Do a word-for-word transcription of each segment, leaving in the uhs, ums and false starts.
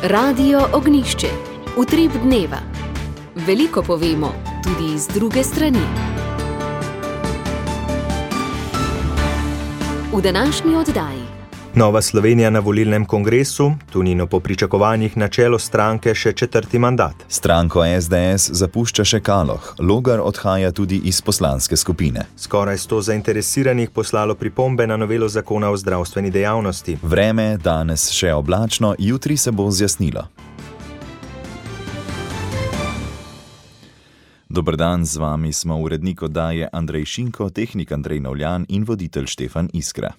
Radio Ognjišče. Utrip dneva. Veliko povemo, tudi iz druge strani. V današnji oddaji. Nova Slovenija na volilnem kongresu, Tonino po pričakovanjih na čelo stranke še četrti mandat. Stranko es de es zapušča še Kaloh, Logar odhaja tudi iz poslanske skupine. Skoraj sto zainteresiranih poslalo pripombe na novelo zakona o zdravstveni dejavnosti. Vreme danes še oblačno, jutri se bo zjasnilo. Dober dan, z vami smo urednik oddaje Andrej Šinko, tehnik Andrej Novljan in voditelj Štefan Iskra.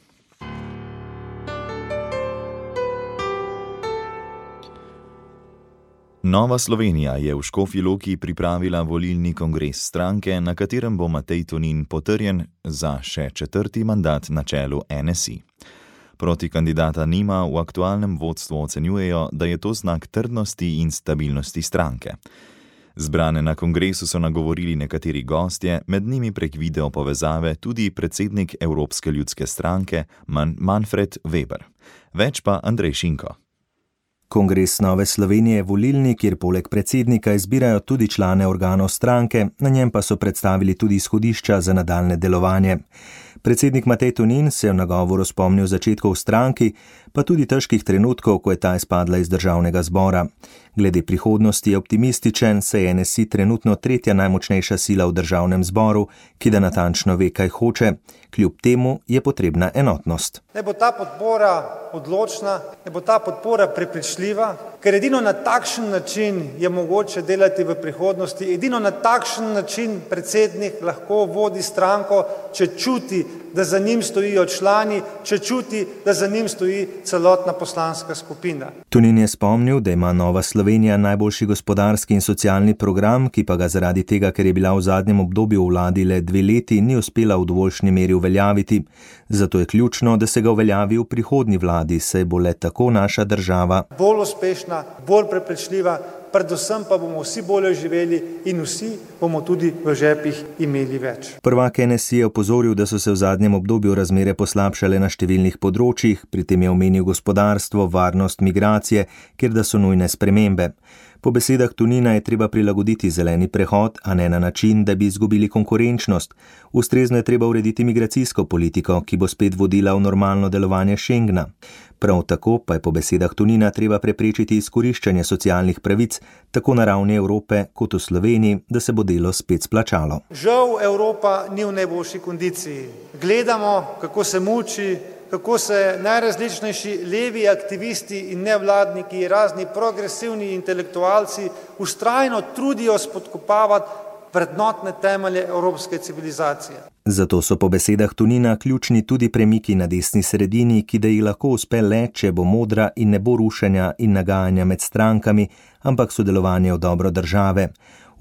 Nova Slovenija je v Škofji Loki pripravila volilni kongres stranke, na katerem bo Matej Tonin potrjen za še četrti mandat na čelu en es i. Proti kandidata nima, v aktualnem vodstvu ocenjujejo, da je to znak trdnosti in stabilnosti stranke. Zbrane na kongresu so nagovorili nekateri gostje, med njimi prek video povezave tudi predsednik Evropske ljudske stranke Man- Manfred Weber. Več pa Andrej Šinko. Kongres Nove Slovenije je volilni, kjer poleg predsednika izbirajo tudi člane organov stranke, na njem pa so predstavili tudi izhodišča za nadaljne delovanje. Predsednik Matej Tonin se je v nagovoru spomnil začetkov v stranki, pa tudi težkih trenutkov, ko je ta izpadla iz državnega zbora. Glede prihodnosti je optimističen, saj je en es i trenutno tretja najmočnejša sila v državnem zboru, ki da natančno ve, kaj hoče. Kljub temu je potrebna enotnost. Ne bo ta podpora odločna, ne bo ta podpora prepričljiva, ker edino na takšen način je mogoče delati v prihodnosti, edino na takšen način predsednik lahko vodi stranko, če čuti, da za njim stojijo člani, če čuti, da za njim stoji celotna poslanska skupina. Tonin je spomnil, da ima Nova Slovenija najboljši gospodarski in socialni program, ki pa ga zaradi tega, ker je bila v zadnjem obdobju v vladi le dve leti, ni uspela v dovoljšni meri uveljaviti. Zato je ključno, da se ga uveljavi v prihodnji vladi, saj bo le tako naša država bolj uspešna, bolj prepričljiva, predvsem pa bomo vsi bolje živeli in vsi bomo tudi v žepih imeli več. Prvak en es i je opozoril, da so se v zadnjem obdobju razmere poslabšale na številnih področjih, pri tem je omenil gospodarstvo, varnost, migracije, kjer da so nujne spremembe. Po besedah Tonina je treba prilagoditi zeleni prehod, a ne na način, da bi izgubili konkurenčnost. Ustrezno je treba urediti migracijsko politiko, ki bo spet vodila v normalno delovanje Schengna. Prav tako pa je po besedah Tonina treba preprečiti izkoriščanje socialnih pravic, tako na ravni Evrope kot v Sloveniji, da se bo delo spet splačalo. Žal Evropa ni v najboljši kondiciji. Gledamo, kako se muči, kako se najrazličnejši levi aktivisti in nevladniki, razni progresivni intelektualci vztrajno trudijo spodkopavati vrednotne temelje evropske civilizacije. Zato so po besedah Tonina ključni tudi premiki na desni sredini, ki da jih lahko uspe le, če bo modra in ne bo rušenja in nagajanja med strankami, ampak sodelovanje v dobro države.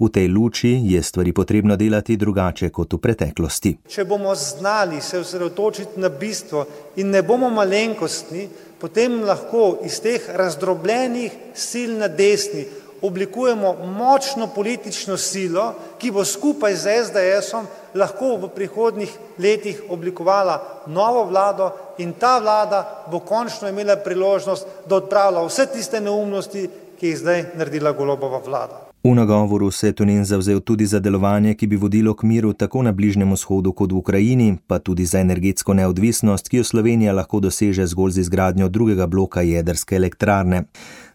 V tej luči je stvari potrebno delati drugače kot v preteklosti. Če bomo znali se osredotočiti na bistvo in ne bomo malenkostni, potem lahko iz teh razdrobljenih sil na desni oblikujemo močno politično silo, ki bo skupaj z es de esom lahko v prihodnjih letih oblikovala novo vlado in ta vlada bo končno imela priložnost, da odpravlja vse tiste neumnosti, ki jih zdaj naredila Golobova vlada. V nagovoru se je Tonin zavzel tudi za delovanje, ki bi vodilo k miru tako na Bližnjem vzhodu kot v Ukrajini, pa tudi za energetsko neodvisnost, ki jo Slovenija lahko doseže zgolj z izgradnjo drugega bloka jedrske elektrarne.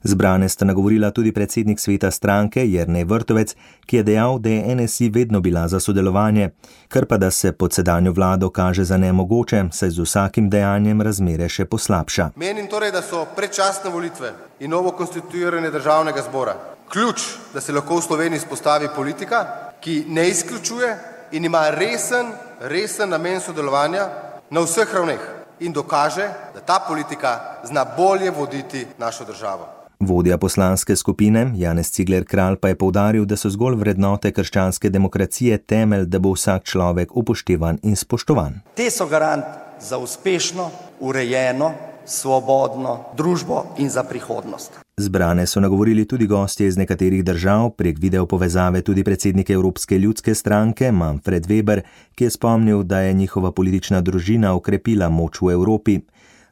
Zbrane sta nagovorila tudi predsednik sveta stranke Jernej Vrtovec, ki je dejal, da je en es i vedno bila za sodelovanje, kar pa da se pod sedanjo vlado kaže za nemogoče, saj z vsakim dejanjem razmere še poslabša. Menim torej, da so predčasne volitve in novo konstituiranje državnega zbora ključ, da se lahko v Sloveniji spostavi politika, ki ne izključuje in ima resen, resen namen sodelovanja na vseh ravneh in dokaže, da ta politika zna bolje voditi našo državo. Vodja poslanske skupine Janez Cigler Kralj pa je poudaril, da so zgolj vrednote krščanske demokracije temelj, da bo vsak človek upoštevan in spoštovan. Te so garant za uspešno, urejeno, svobodno družbo in za prihodnost. Zbrane so nagovorili tudi gostje iz nekaterih držav, prek video povezave tudi predsednik Evropske ljudske stranke Manfred Weber, ki je spomnil, da je njihova politična družina okrepila moč v Evropi.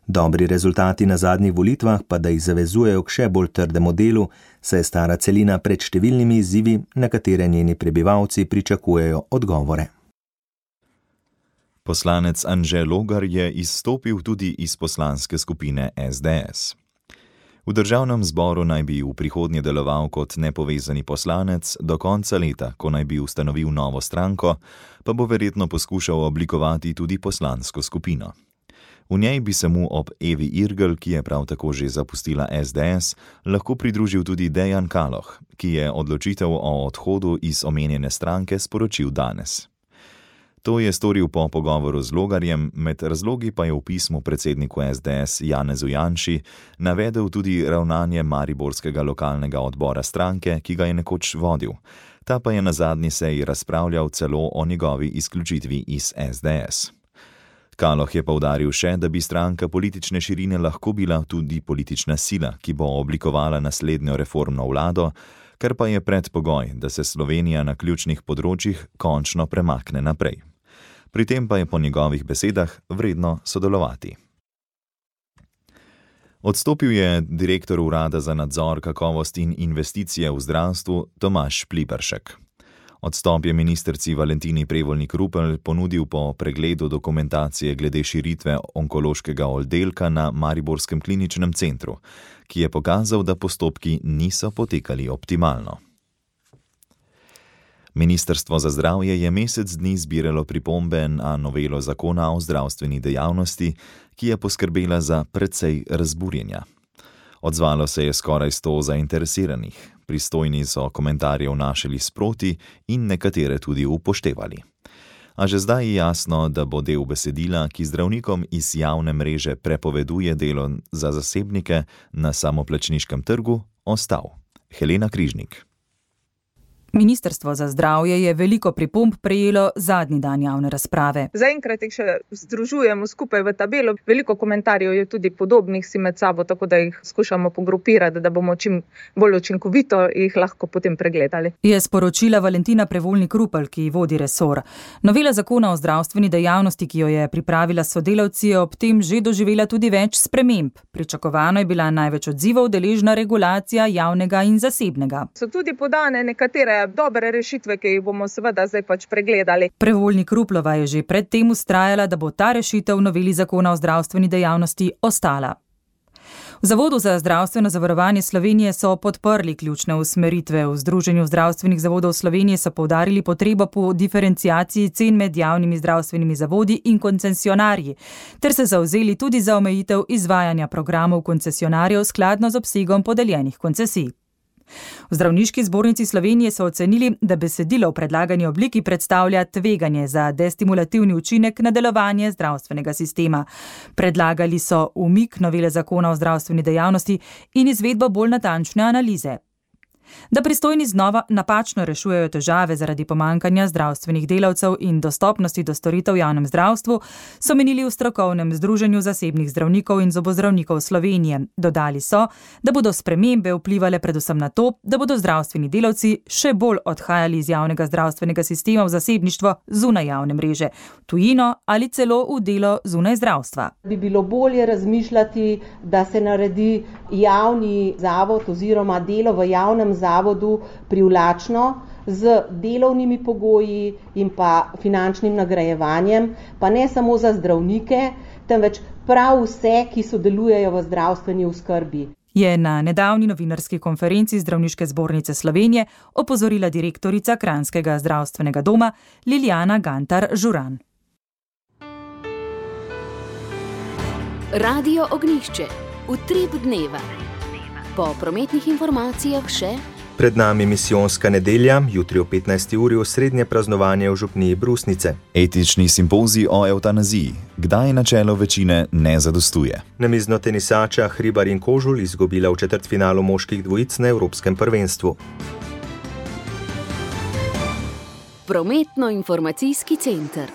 Dobri rezultati na zadnjih volitvah pa da jih zavezujejo k še bolj trdemu delu, saj je stara celina pred številnimi izzivi, na katere njeni prebivalci pričakujejo odgovore. Poslanec Anže Logar je izstopil tudi iz poslanske skupine S D S. V državnem zboru naj bi v prihodnje deloval kot nepovezani poslanec, do konca leta, ko naj bi ustanovil novo stranko, pa bo verjetno poskušal oblikovati tudi poslansko skupino. V njej bi se mu ob Evi Irgl, ki je prav tako že zapustila S D S, lahko pridružil tudi Dejan Kaloh, ki je odločitev o odhodu iz omenjene stranke sporočil danes. To je storil po pogovoru z Logarjem, med razlogi pa je v pismu predsedniku S D S Janezu Janši navedel tudi ravnanje mariborskega lokalnega odbora stranke, ki ga je nekoč vodil. Ta pa je na zadnji seji razpravljal celo o njegovi izključitvi iz S D S. Kaloh je poudaril še, da bi stranka politične širine lahko bila tudi politična sila, ki bo oblikovala naslednjo reformno vlado, kar pa je predpogoj, da se Slovenija na ključnih področjih končno premakne naprej. Pri tem pa je po njegovih besedah vredno sodelovati. Odstopil je direktor Urada za nadzor kakovosti in investicije v zdravstvu Tomaž Pliberšek. Odstop je ministrici Valentini Prevolnik Rupel ponudil po pregledu dokumentacije glede širitve onkološkega oddelka na Mariborskem kliničnem centru, ki je pokazal, da postopki niso potekali optimalno. Ministrstvo za zdravje je mesec dni zbiralo pripombe na novelo zakona o zdravstveni dejavnosti, ki je poskrbela za precej razburjenja. Odzvalo se je skoraj sto zainteresiranih, pristojni so komentarje vnašali sproti in nekatere tudi upoštevali. A že zdaj je jasno, da bo del besedila, ki zdravnikom iz javne mreže prepoveduje delo za zasebnike na samoplačniškem trgu, ostal. Helena Križnik. Ministrstvo za zdravje je veliko pripomb prejelo zadnji dan javne razprave. Zaenkrat jih še združujemo skupaj v tabelo. Veliko komentarjev je tudi podobnih si med sabo, tako da jih skušamo pogrupirati, da bomo čim bolj učinkovito jih lahko potem pregledali. Je sporočila Valentina Prevolnik Rupel, ki vodi resor. Novela zakona o zdravstveni dejavnosti, ki jo je pripravila s sodelavci, je ob tem že doživela tudi več sprememb. Pričakovano je bila največ odzivov deležna regulacija javnega in zasebnega. So tudi podane nekatere dobre rešitve, ki jih bomo seveda zdaj pač pregledali. Prevolnik Ruplova je že predtem vztrajala, da bo ta rešitev v noveli zakona o zdravstveni dejavnosti ostala. V Zavodu za zdravstveno zavarovanje Slovenije so podprli ključne usmeritve. V Združenju zdravstvenih zavodov Slovenije so poudarili potrebo po diferenciaciji cen med javnimi zdravstvenimi zavodi in koncesionarji, ter se zavzeli tudi za omejitev izvajanja programov koncesionarjev skladno z obsegom podeljenih koncesij. V Zdravniški zbornici Slovenije so ocenili, da besedilo v predlagani obliki predstavlja tveganje za destimulativni učinek na delovanje zdravstvenega sistema. Predlagali so umik novele zakona o zdravstveni dejavnosti in izvedbo bolj natančne analize. Da pristojni znova napačno rešujejo težave zaradi pomankanja zdravstvenih delavcev in dostopnosti do storitev v javnem zdravstvu, so menili v strokovnem združenju zasebnih zdravnikov in zobozdravnikov Slovenije. Dodali so, da bodo spremembe vplivale predvsem na to, da bodo zdravstveni delavci še bolj odhajali iz javnega zdravstvenega sistema v zasebništvo zunaj javne mreže, v tujino ali celo v delo zunaj zdravstva. Bi bilo bolje razmišljati, da se naredi javni zavod oziroma delo v javnem zavodu privlačno z delovnimi pogoji in pa finančnim nagrajevanjem, pa ne samo za zdravnike, temveč prav vse, ki sodelujejo v zdravstveni oskrbi. Je na nedavni novinarski konferenci Zdravniške zbornice Slovenije opozorila direktorica Kranjskega zdravstvenega doma Liljana Gantar Žuran. Radio Ognjišče. Utrip dneva. Po prometnih informacijah še pred nami misijonska nedelja, jutri o petnajsti uri osrednje praznovanje v župniji Brusnice. Etični simpozij o evtanaziji. Kdaj načelo večine ne zadostuje? Namizno tenisača Hribar in Kožul izgubila v četrtfinalu moških dvojic na Evropskem prvenstvu. Prometno-informacijski center.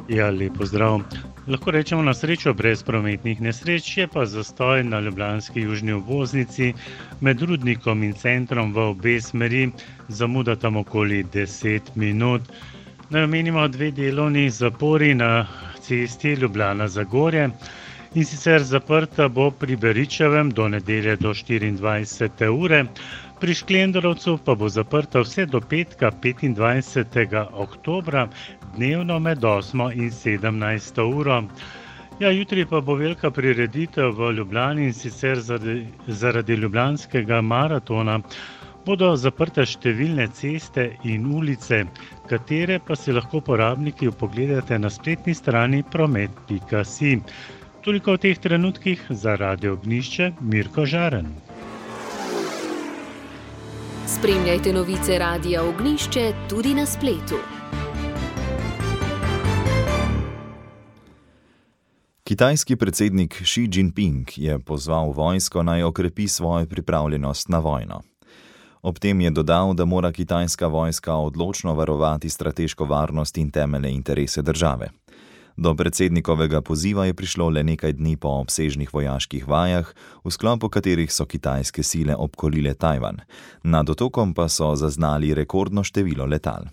Ja, lepo zdrav. Lahko rečemo na srečo brez prometnih nesreč, je pa zastoj na ljubljanski južni obvoznici med Rudnikom in centrom v obe smeri, zamuda tam okoli deset minut. Naj omenimo dve delovni zapori na cesti Ljubljana-Zagorje In sicer zaprta bo pri Beričevem do nedelje do štiriindvajsete ure, pri Šklendarovcu pa bo zaprta vse do petka petindvajsetega oktobra, dnevno med osmo in sedemnajsto uro. Ja, jutri pa bo velika prireditev v Ljubljani in sicer zaradi, zaradi ljubljanskega maratona bodo zaprte številne ceste in ulice, katere pa si lahko uporabniki pogledate na spletni strani promet pika si. Toliko v teh trenutkih za Radio Ognjišče, Mirko Žaren. Spremljajte novice Radia Ognjišče tudi na spletu. Kitajski predsednik Xi Jinping je pozval vojsko naj okrepi svojo pripravljenost na vojno. Ob tem je dodal, da mora kitajska vojska odločno varovati strateško varnost in temeljne interese države. Do predsednikovega poziva je prišlo le nekaj dni po obsežnih vojaških vajah, v sklopu katerih so kitajske sile obkolile Tajvan. Nad otokom pa so zaznali rekordno število letal.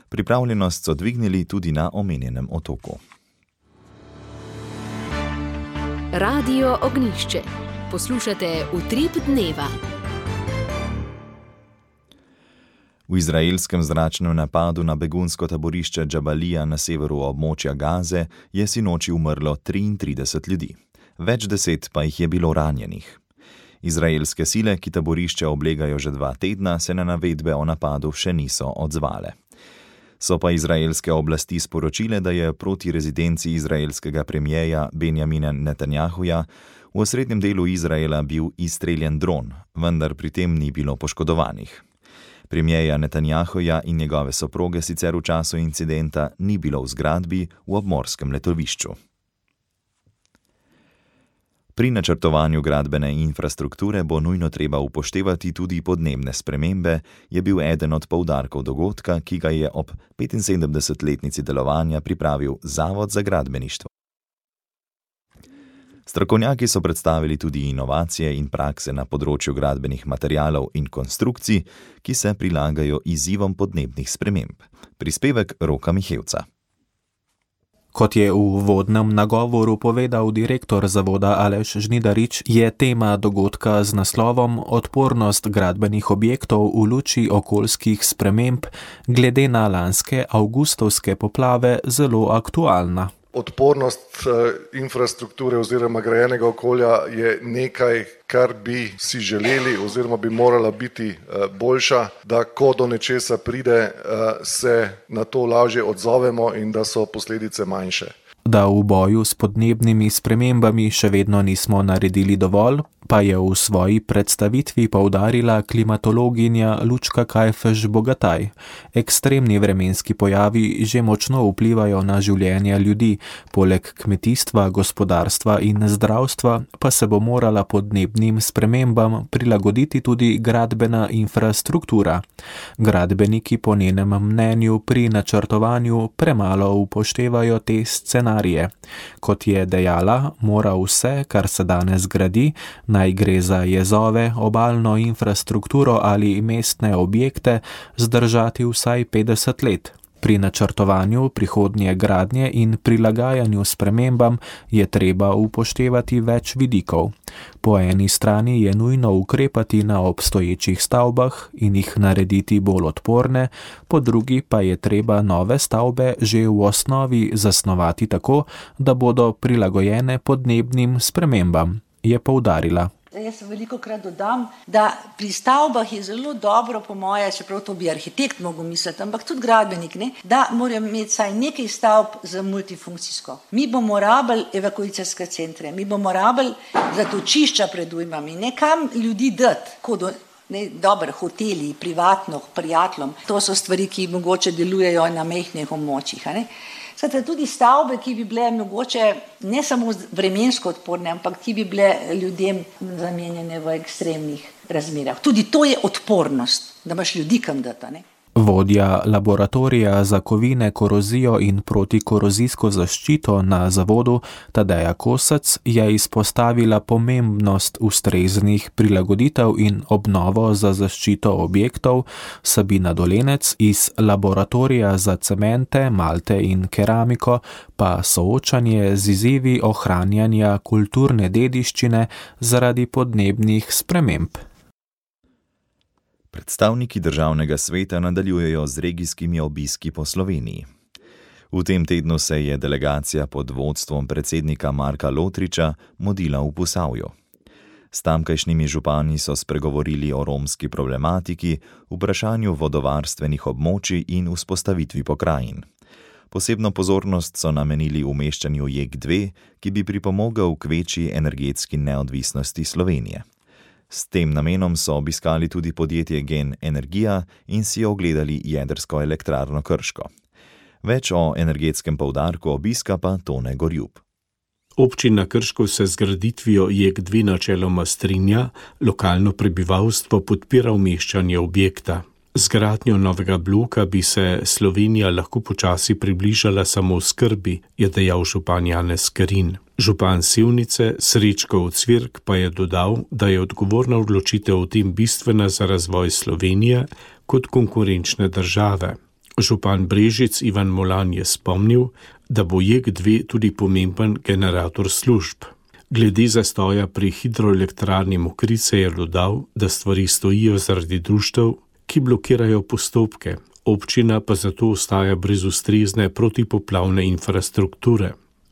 Pripravljenost so dvignili tudi na omenjenem otoku. Radio Ognjišče. Poslušate Utrip dneva. V izraelskem zračnem napadu na begunsko taborišče Džabalija na severu območja Gaze je sinoči umrlo triintrideset ljudi. Več deset pa jih je bilo ranjenih. Izraelske sile, ki taborišče oblegajo že dva tedna, se na navedbe o napadu še niso odzvale. So pa izraelske oblasti sporočile, da je proti rezidenci izraelskega premijeja Benjamina Netanjahuja v osrednjem delu Izraela bil izstreljen dron, vendar pri tem ni bilo poškodovanih. Premijeja Netanjahuja in njegove soproge sicer v času incidenta ni bilo v zgradbi v obmorskem letovišču. Pri načrtovanju gradbene infrastrukture bo nujno treba upoštevati tudi podnebne spremembe, je bil eden od poudarkov dogodka, ki ga je ob petinsedemdesetletnici delovanja pripravil Zavod za gradbeništvo. Strokovnjaki so predstavili tudi inovacije in prakse na področju gradbenih materialov in konstrukcij, ki se prilagajo izzivom podnebnih sprememb. Prispevek Roka Mihevca. Kot je v uvodnem nagovoru povedal direktor zavoda Aleš Žnidarič, je tema dogodka z naslovom Odpornost gradbenih objektov v luči okoljskih sprememb glede na lanske avgustovske poplave zelo aktualna. Odpornost infrastrukture oziroma grajenega okolja je nekaj, kar bi si želeli oziroma bi morala biti boljša, da ko do nečesa pride, se na to lažje odzovemo in da so posledice manjše. Da v boju s podnebnimi spremembami še vedno nismo naredili dovolj, pa je v svoji predstavitvi poudarila klimatologinja Lučka Kajfež-Bogataj. Ekstremni vremenski pojavi že močno vplivajo na življenje ljudi, poleg kmetijstva, gospodarstva in zdravstva pa se bo morala podnebnim spremembam prilagoditi tudi gradbena infrastruktura. Gradbeniki po njenem mnenju pri načrtovanju premalo upoštevajo te scenarije. Kot je dejala, mora vse, kar se danes gradi, naj gre za jezove, obalno infrastrukturo ali mestne objekte, zdržati vsaj petdeset let. Pri načrtovanju prihodnje gradnje in prilagajanju spremembam je treba upoštevati več vidikov. Po eni strani je nujno ukrepati na obstoječih stavbah in jih narediti bolj odporne, po drugi pa je treba nove stavbe že v osnovi zasnovati tako, da bodo prilagojene podnebnim spremembam, je poudarila. Jaz veliko krat dodam, da pri stavbah je zelo dobro, po moje, čeprav to bi arhitekt mogel misliti, ampak tudi gradbenik, ne, da morajo imeti saj nekaj stavb za multifunkcijsko. Mi bomo rabili evakuacijske centre, mi bomo rabili zatočišča pred ujmami, nekam ljudi dati, kot ne, dober, hoteli, privatno, prijateljem. To so stvari, ki mogoče delujejo na mehkih območjih, ne. Skratka, tudi stavbe, ki bi bile mogoče ne samo vremensko odporne, ampak ki bi bile ljudem namenjene v ekstremnih razmerah. Tudi to je odpornost, da imaš ljudi kam dati, ne? Vodja laboratorija za kovine, korozijo in protikorozijsko zaščito na zavodu Tadeja Kosec je izpostavila pomembnost ustreznih prilagoditev in obnovo za zaščito objektov. Sabina Dolenec iz laboratorija za cemente, malte in keramiko pa soočanje z izzivi ohranjanja kulturne dediščine zaradi podnebnih sprememb. Predstavniki državnega sveta nadaljujejo z regijskimi obiski po Sloveniji. V tem tednu se je delegacija pod vodstvom predsednika Marka Lotriča modila v Posavju. S tamkajšnjimi župani so spregovorili o romski problematiki, vprašanju vodovarstvenih območij in vzpostavitvi pokrajin. Posebno pozornost so namenili umeščanju J E K dve, ki bi pripomogel k večji energetski neodvisnosti Slovenije. S tem namenom so obiskali tudi podjetje Gen Energija in si ogledali jedrsko elektrarno Krško. Več o energetskem poudarku obiska pa Tone Gorjub. Občina Krško se z graditvijo J E K dve načeloma strinja, lokalno prebivalstvo podpira umeščanje objekta. Z gradnjo novega bloka bi se Slovenija lahko počasi približala samooskrbi, je dejal župan Janez Kerin. Župan Sevnice Srečko Ocvirk pa je dodal, da je odgovorna odločitev o tem bistvena za razvoj Slovenije kot konkurenčne države. Župan Brežic Ivan Molan je spomnil, da bo J E K dve tudi pomemben generator služb. Glede zastoja pri hidroelektrarni Mokrice je dodal, da stvari stojijo zaradi društev, ki blokirajo postopke, občina pa zato ostaja brez ustrezne protipoplavne infrastrukture.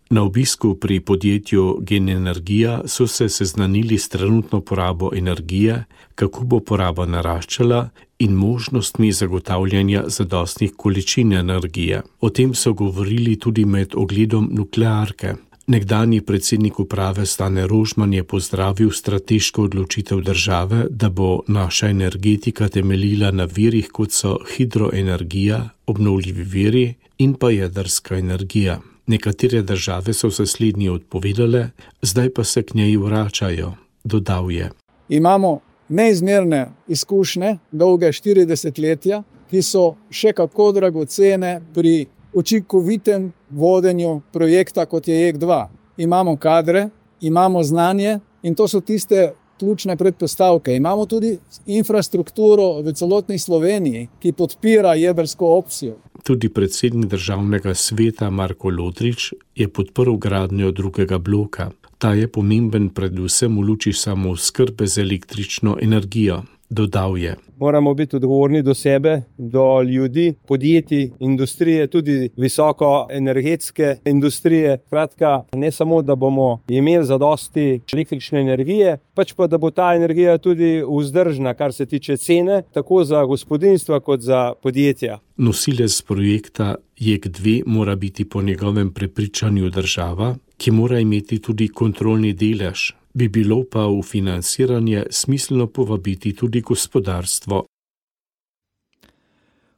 Na obisku pri podjetju Gen Energija so se seznanili s trenutno porabo energije, kako bo poraba naraščala in možnostmi zagotavljanja zadostnih količin energije. O tem so govorili tudi med ogledom nuklearke. Nekdanji predsednik uprave Stane Rožman je pozdravil strateško odločitev države, da bo naša energetika temeljila na virih, kot so hidroenergija, obnovljivi viri in pa jedrska energija. Nekatere države so se slednji odpovedale, zdaj pa se k njej vračajo, dodal je. Imamo neizmerne izkušnje, dolge štiri desetletja, ki so še kako dragocene pri učinkovitem vodenju projekta, kot je J E K dva. Imamo kadre, imamo znanje in to so tiste ključne predpostavke. Imamo tudi infrastrukturo v celotni Sloveniji, ki podpira jedrsko opcijo. Tudi predsednik državnega sveta Marko Lotrič je podprl gradnjo drugega bloka. Ta je pomemben predvsem v luči samooskrbe z električno energijo, dodal je. Moramo biti odgovorni do sebe, do ljudi, podjetij, industrije, tudi visoko energetske industrije. Kratka, ne samo, da bomo imeli zadosti električne energije, pač pa, da bo ta energija tudi vzdržna, kar se tiče cene, tako za gospodinjstva kot za podjetja. Nosilec projekta J E K dve mora biti po njegovem prepričanju država, ki mora imeti tudi kontrolni delež. Bi bilo pa v financiranje smiselno povabiti tudi gospodarstvo.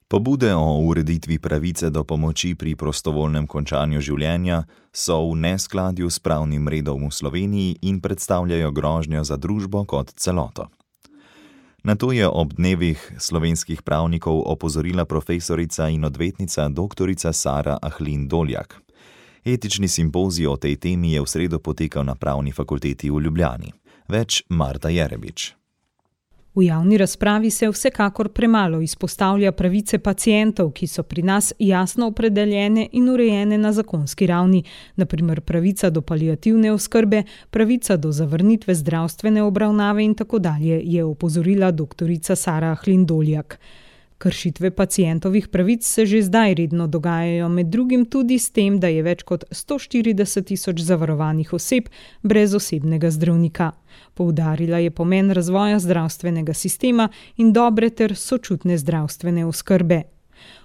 Pobude o ureditvi pravice do pomoči pri prostovoljnem končanju življenja so v neskladju s pravnim redom v Sloveniji in predstavljajo grožnjo za družbo kot celoto. Na to je ob dnevih slovenskih pravnikov opozorila profesorica in odvetnica doktorica Sara Ahlin Doljak. Etični simpozij o tej temi je v sredo potekal na Pravni fakulteti v Ljubljani. Več Marta Jerebič. V javni razpravi se vsekakor premalo izpostavlja pravice pacientov, ki so pri nas jasno opredeljene in urejene na zakonski ravni, na primer pravica do paliativne oskrbe, pravica do zavrnitve zdravstvene obravnave in tako dalje, je opozorila doktorica Sara Ahlin Doljak. Kršitve pacientovih pravic se že zdaj redno dogajajo, med drugim tudi s tem, da je več kot sto štirideset tisoč zavarovanih oseb brez osebnega zdravnika. Poudarila je pomen razvoja zdravstvenega sistema in dobre ter sočutne zdravstvene oskrbe.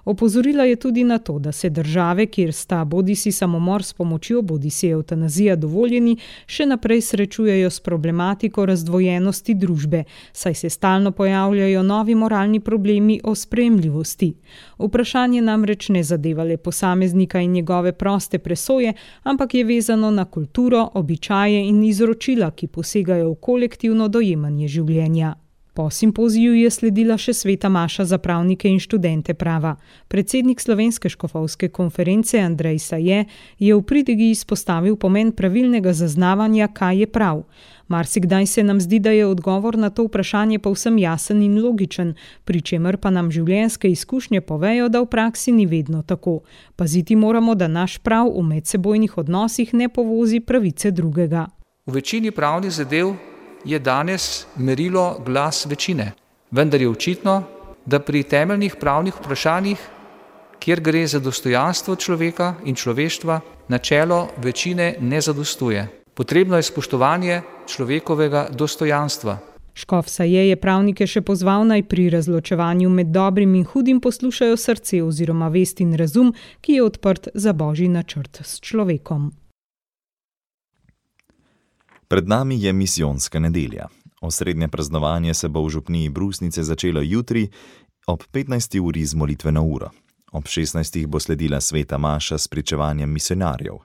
Opozorila je tudi na to, da se države, kjer sta bodisi samomor s pomočjo, bodisi evtanazija dovoljeni, še naprej srečujejo s problematiko razdvojenosti družbe, saj se stalno pojavljajo novi moralni problemi o sprejemljivosti. Vprašanje namreč ne zadeva le posameznika in njegove proste presoje, ampak je vezano na kulturo, običaje in izročila, ki posegajo v kolektivno dojemanje življenja. Po simpoziju je sledila še sveta maša za pravnike in študente prava. Predsednik Slovenske škofovske konference Andrej Saje je v pridigi izpostavil pomen pravilnega zaznavanja, kaj je prav. Marsikdaj se nam zdi, da je odgovor na to vprašanje povsem jasen in logičen, pri čemer pa nam življenjske izkušnje povejo, da v praksi ni vedno tako. Paziti moramo, da naš prav v medsebojnih odnosih ne povozi pravice drugega. V večini pravnih zadev je danes merilo glas večine, vendar je očitno, da pri temeljnih pravnih vprašanjih, kjer gre za dostojanstvo človeka in človeštva, načelo večine ne zadostuje. Potrebno je spoštovanje človekovega dostojanstva. Škof Saje je pravnike še pozval, naj pri razločevanju med dobrim in hudim poslušajo srce oziroma vest in razum, ki je odprt za božji načrt s človekom. Pred nami je misijonska nedelja. Osrednje praznovanje se bo v župniji Brusnice začelo jutri ob petnajsti uri z molitveno uro. Ob šestnajstih bo sledila sveta maša s pričevanjem misionarjev.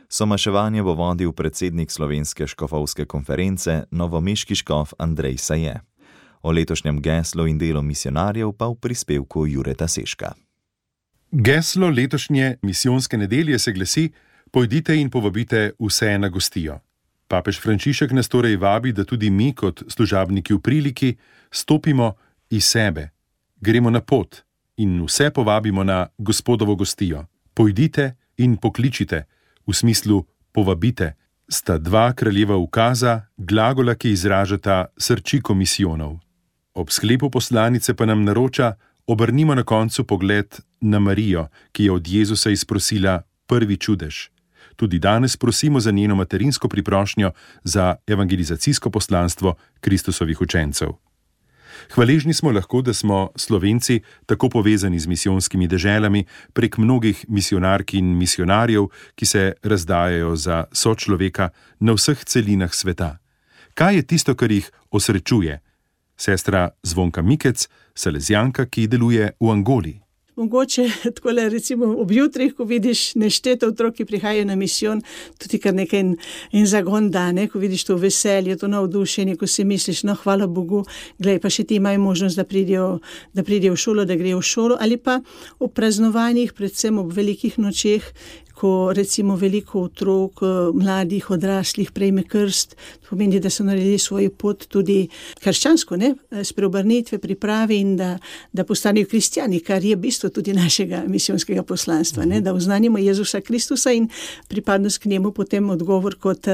Somaševanje bo vodil predsednik Slovenske škofovske konference, novomeški škof Andrej Saje. O letošnjem geslu in delu misionarjev pa v prispevku Jureta Seška. Geslo letošnje misijonske nedelje se glasi: Pojdite in povabite vse na gostijo. Papež Frančišek nas torej vabi, da tudi mi kot služabniki v priliki stopimo iz sebe, gremo na pot in vse povabimo na Gospodovo gostijo. Pojdite in pokličite, v smislu povabite, sta dva kraljeva ukaza, glagola, ki izražata srčiko misijonov. Ob sklepu poslanice pa nam naroča: obrnimo na koncu pogled na Marijo, ki je od Jezusa izprosila prvi čudež. Tudi danes prosimo za njeno materinsko priprošnjo za evangelizacijsko poslanstvo Kristusovih učencev. Hvaležni smo lahko, da smo Slovenci tako povezani z misijonskimi deželami prek mnogih misionark in misionarjev, ki se razdajajo za sočloveka na vseh celinah sveta. Kaj je tisto, kar jih osrečuje? Sestra Zvonka Mikec, salezijanka, ki deluje v Angoli. Mogoče takole recimo ob jutrih, ko vidiš neštete otrok, ki prihajajo na misijon, tudi kar nekaj in, in zagon dane, ko vidiš to veselje, to navdušenje, ko si misliš, no hvala Bogu, glej, pa še ti imajo možnost, da pridejo, da pridejo v šolo, da grejo v šolo, ali pa ob praznovanjih, predvsem ob velikih nočeh, ko recimo veliko otrok, mladih, odraslih prejme krst, to pomeni, da so naredili svojo pot tudi krščansko, ne, s preobrnitve, priprave in da, da postanejo kristjani, kar je bistvo tudi našega misijonskega poslanstva, ne, da oznanimo Jezusa Kristusa in pripadnost k njemu potem odgovor kot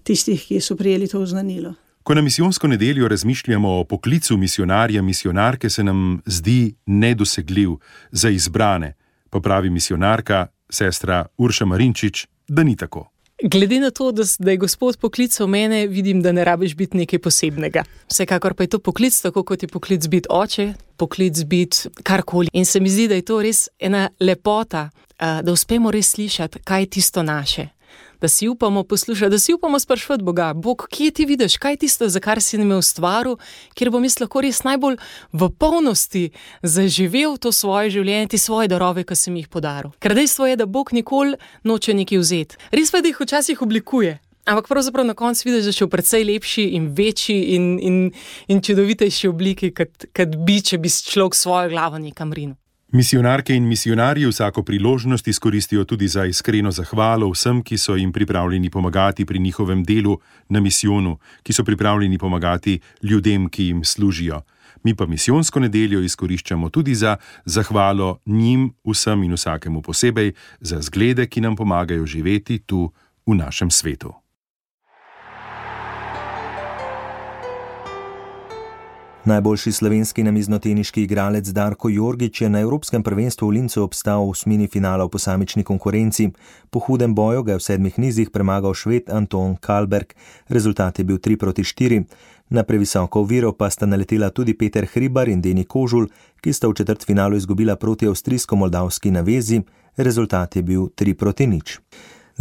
tistih, ki so prijeli to oznanilo. Ko na misijonsko nedeljo razmišljamo o poklicu misionarja, misionarke, se nam zdi nedosegljiv za izbrane, pa pravi misionarka, sestra Urša Marinčič, da ni tako. Glede na to, da, da je Gospod poklical mene, vidim, da ne rabiš biti nekaj posebnega. Vsekakor pa je to poklic, tako kot je poklic biti oče, poklic biti karkoli. In se mi zdi, da je to res ena lepota, da uspemo res slišati, kaj je tisto naše. Da si upamo poslušati, da si upamo sprašvati Boga, Bog, kje ti vidiš, kaj je tisto, za kar si me ustvaril, kjer bom jaz lahko res najbolj v polnosti zaživel to svoje življenje, ti svoje darove, ki sem jih podaril. Ker dejstvo je, da Bog nikoli noče nekaj vzeti. Res pa, da jih včasih oblikuje, ampak pravzaprav na koncu vidiš, da še v precej lepši in večji in, in, in čudovitejši obliki, kot, kot bi, če bi človek svojo glavo nekam rinil. Misionarke in misionarji vsako priložnost izkoristijo tudi za iskreno zahvalo vsem, ki so jim pripravljeni pomagati pri njihovem delu na misijonu, ki so pripravljeni pomagati ljudem, ki jim služijo. Mi pa misijonsko nedeljo izkoriščamo tudi za zahvalo njim, vsem in vsakemu posebej, za zglede, ki nam pomagajo živeti tu v našem svetu. Najboljši slovenski namiznoteniški igralec Darko Jorgić je na Evropskem prvenstvu v Lincu obstal v osmini finala v posamični konkurenci. Po hudem boju ga je v sedmih nizih premagal Šved Anton Kalberg. Rezultat je bil tri proti štiri. Na previsoko oviro pa sta naletela tudi Peter Hribar in Deni Kožul, ki sta v četrtfinalu izgubila proti avstrijsko-moldavski navezi. Rezultat je bil tri proti nič.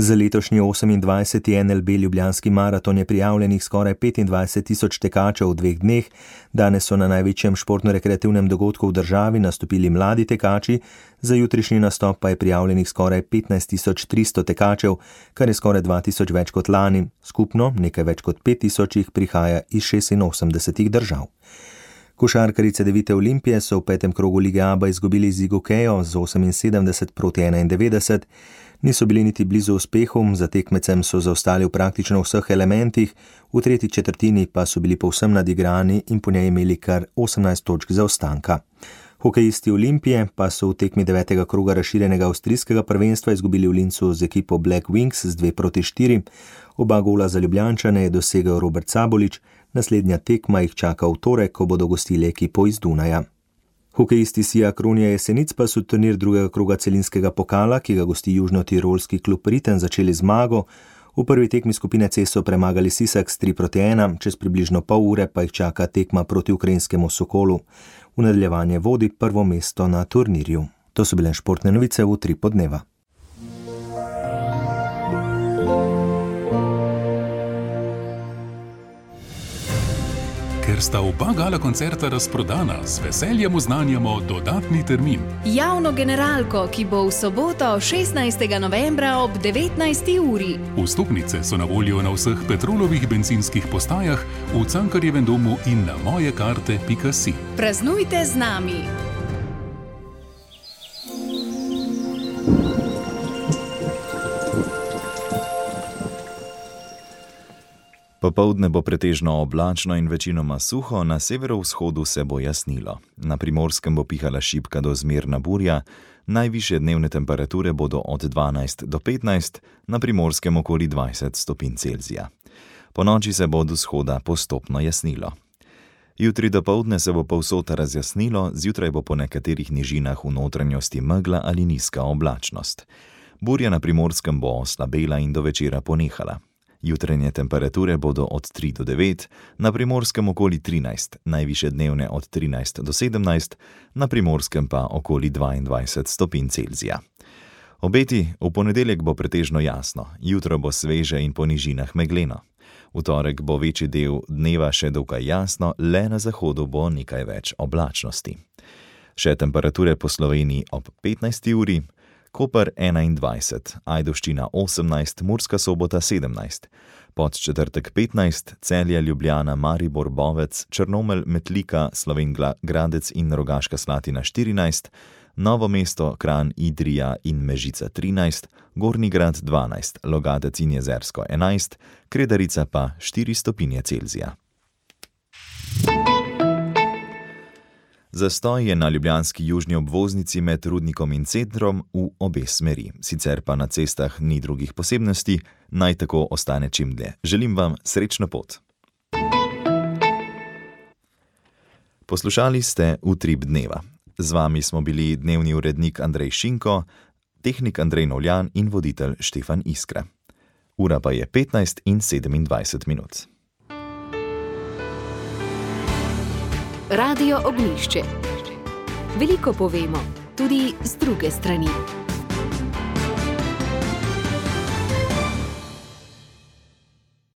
Za letošnji osemindvajseti N L B Ljubljanski maraton je prijavljenih skoraj petindvajset tisoč tekačev v dveh dneh. Danes so na največjem športno-rekreativnem dogodku v državi nastopili mladi tekači, za jutrišnji nastop pa je prijavljenih skoraj petnajst tisoč tristo tekačev, kar je skoraj dva tisoč več kot lani. Skupno nekaj več kot pet tisoč jih prihaja iz šestinosemdesetih držav. Košarkarice Devite Olimpije so v petem krogu Lige A B A izgubili z Igokejo z oseminsedemdeset proti enaindevetdeset. Niso bili niti blizu uspehu, za tekmecem so zaostali v praktično vseh elementih, v tretji četrtini pa so bili povsem nadigrani in po njej imeli kar osemnajst točk zaostanka. Hokejisti Olimpije pa so v tekmi devetega kroga razširjenega avstrijskega prvenstva izgubili v Lincu z ekipo Black Wings z dve proti štiri. Oba gola za Ljubljančane je dosegel Robert Sabolič, naslednja tekma jih čaka v torek, ko bodo gostili ekipo iz Dunaja. Hokejisti Sija Kronja Jesenic pa so turnir drugega kroga celinskega pokala, ki ga gosti južno-tirolski klub Riten, začeli zmago. V prvi tekmi skupine C so premagali Sisak s tri proti ena, čez približno pol ure pa jih čaka tekma proti ukrajinskemu Sokolu. V nadaljevanje vodi prvo mesto na turnirju. To so bile športne novice v Utrip dneva. Ker sta oba gala koncerta razprodana, z veseljem oznanjamo dodatni termin. Javno generalko, ki bo v soboto šestnajstega novembra ob devetnajsti uri. Vstopnice so na voljo na vseh Petrolovih bencinskih postajah, v Cankarjevem domu in na mojekarte pika si. Praznujte z nami! Popoldne bo pretežno oblačno in večinoma suho, na severovzhodu se bo jasnilo. Na Primorskem bo pihala šibka do zmerna burja, najvišje dnevne temperature bodo od dvanajst do petnajst, na Primorskem okoli dvajset stopinj Celzija. Ponoči se bo od vzhoda postopno jasnilo. Jutri dopoldne se bo povsod razjasnilo, zjutraj bo po nekaterih nižinah v notranjosti megla ali nizka oblačnost. Burja na Primorskem bo oslabela in do večera ponehala. Jutranje temperature bodo od tri do devet, na Primorskem okoli trinajst, najviše dnevne od trinajst do sedemnajst, na Primorskem pa okoli dvaindvajset stopinj Celzija. Obeti: v ponedeljek bo pretežno jasno, jutro bo sveže in po nižinah megleno. V torek bo večji del dneva še dokaj jasno, le na zahodu bo nekaj več oblačnosti. Še temperature po Sloveniji ob petnajsti uri, Koper enaindvajset, Ajdovščina osemnajst, Murska Sobota sedemnajst, Podčetrtek petnajst, Celje, Ljubljana, Maribor, Bovec, Črnomelj, Metlika, Slovenj Gradec in Rogaška Slatina štirinajst, Novo mesto, Kranj, Idrija in Mežica trinajst, Gornji Grad dvanajst, Logatec in Jezersko enajst, Kredarica pa štiri stopinje Celzija. Zastoj je na ljubljanski južni obvoznici med Rudnikom in centrom v obe smeri. Sicer pa na cestah ni drugih posebnosti, naj tako ostane čim dlje. Želim vam srečno pot. Poslušali ste Utrip dneva. Z vami smo bili dnevni urednik Andrej Šinko, tehnik Andrej Novljan in voditelj Štefan Iskra. Ura pa je petnajst in sedemindvajset minut. Radio Ognjišče. Veliko povemo, tudi z druge strani.